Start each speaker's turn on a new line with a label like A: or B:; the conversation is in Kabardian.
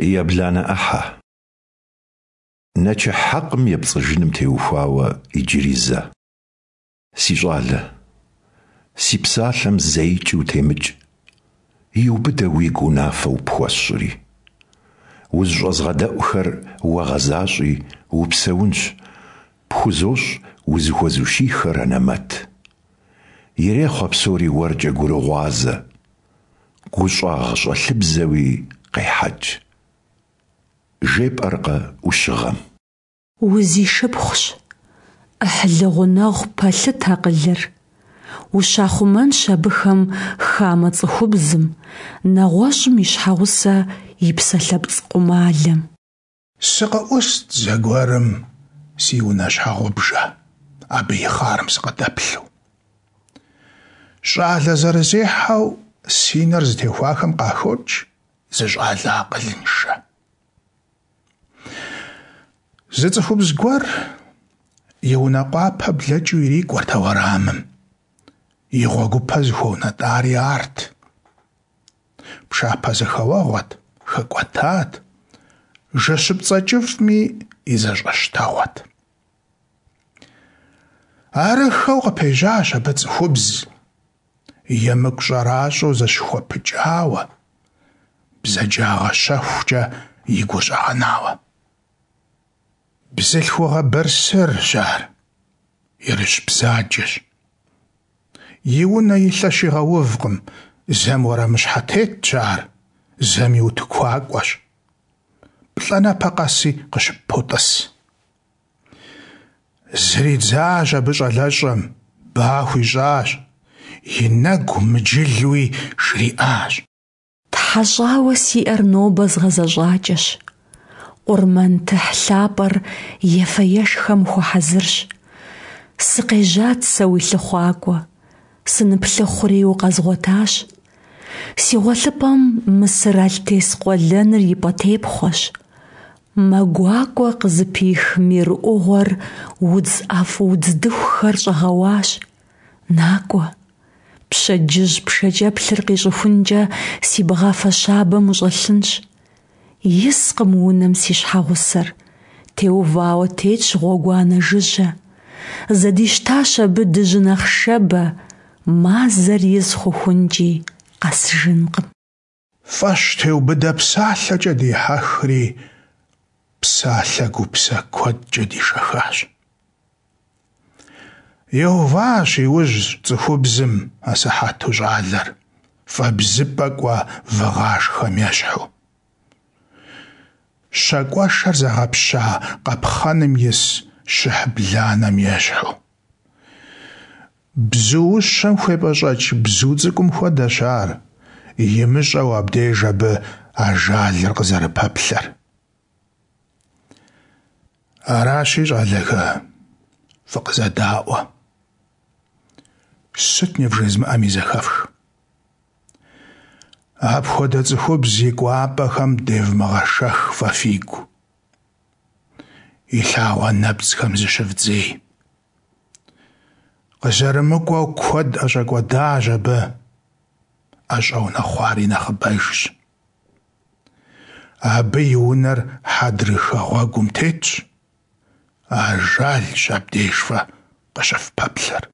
A: Ебланэ ӏыхьэ. Нэчыхь хьэкъым епцӏыжыным теухуауэ иджыри зэ. Си щӏалэ, си псалъэм зэикӏ утемыкӏ, иубыдэ уигу унафэу пхуэсщӏри. Узыщӏэзгъэдэӏухэр уэ гъэзащӏи, упсэунщ, пхузощӏ узыхуэзущийхэр анэмэт. Ирехъу а псори уэркӏэ гурыгъуазэ, гущӏагъщӏэлъыбзэуи къехьэкӏ. Жепӏэркъэ ӏущыгъэм.
B: Узишыпхъущ, ӏыхьлы гъунэгъу пэлъыт акъылыр. Ущахъумэнщ абыхэм хамэ цӏыхубзым, нэгъуэщӏым и щхьэгъусэ и псалъэпцӏ къумалэм.
C: Сыкъыӏуст зэгуэрым си унэ щхьэгъубжэ, абы и хъарым сыкъыдэплъу. Щӏалэ зэрызехьэу си нэр зытехуахэм къахокӏ зы щӏалэ акъылыншэ. Зы цӏыхубз гуэр и унэ къуапэ блэкӏыу ирикӏуэрт а уэрамым. И гъуэгупэ зыхуэунэтӏари арт. Пшапэ зэхэуэгъуэт, хэкӏуэтат, жэщыпцӏэ кӏыфӏми и зэщӏэщтэгъуэт. Арыххэу къыпежьащ абы цӏыхубз, емыкӏу щӏэращӏэу зэщыхуэпыкӏауэ, бзаджагъэ щэхукӏэ и гур щӏэгъэнауэ. Бзылъхугъэ бырсырщ ар, ерыщ бзаджэщ. И унэ и лъэ щигъэувкъым, зэм уэрамыщхьэтетщ ар, зэми утыкуакӏуэщ. Плӏанэпэ къэси къыщыппотӏыс. Зридзащ абы щӏалэщӏэм, ба хуищӏащ, и нэгу мыджылуи жриӏащ.
B: Тхьэщӏауэ си ӏэр нобэ згъэзэщӏакӏэщ. Къурмэн тыхь лъапӏэр ефэ-ешхэм хуэхьэзырщ. Сыкъежьат сэ уи лъыхъуакӏуэ, сыныплъыхъури укъэзгъуэтащ. Си гъуэлъыпӏэм мысыр алътес къуэлэныр и пӏэтепхъуэщ. Мэ гуакӏуэ къызыпих мир ӏугъуэр удз ӏэфӏ удз дыхухэр щӏэгъэуащ. Накӏуэ, пщэдджыжь пшэкӏэплъыр къищӏыхункӏэ си бгъафэ щабэм ущӏэлъынщ. Искъым унэм си щхьэгъусэр, теувауэ тетщ гъуэгуанэ жыжьэ. Зэдищтащ абы дыжьын ахъшэбэ, мазэр из хъухункӏи къэсыжынкъым.
C: Фӏэщ теубыдэ псалъэкӏэ дихьэхри, псалъэ гупсэ куэдкӏэ дишэхащ. Иуващ иужь цӏыхубзым асыхьэту щӏалэр, фӏэбзыпӏэ кӏуэ выгъашхэм ещхьу. Щакӏуэшэр зэгъэпща къапхъэным ис щыхь бланэм ещхьу. Бзуущэм хуепӏэщӏэкӏ бзу цӏыкӏум хуэдэщ ар, имыщӏэу абдеж абы ажалыр къызэрыпэплъэр. Аращи, щӏалэхэ, фыкъызэдаӏуэ. Сыт нывжезмыӏэми зэхэфх. Апхуэдэ цӏыхубз и кӏуапӏэхэм девмыгъэшэх фэ фигу. И лъагъуэ нэпцӏхэм зыщывдзей. Къызэрымыкӏуэу куэд ӏэщӏэкӏуэдащ абы, ӏэщӏэунэхъуари нэхъыбэжщ. Абы и унэр хьэдрыхэ гъуэгум тетщ, ажалщ абдеж фэ къыщыфпэплъэр.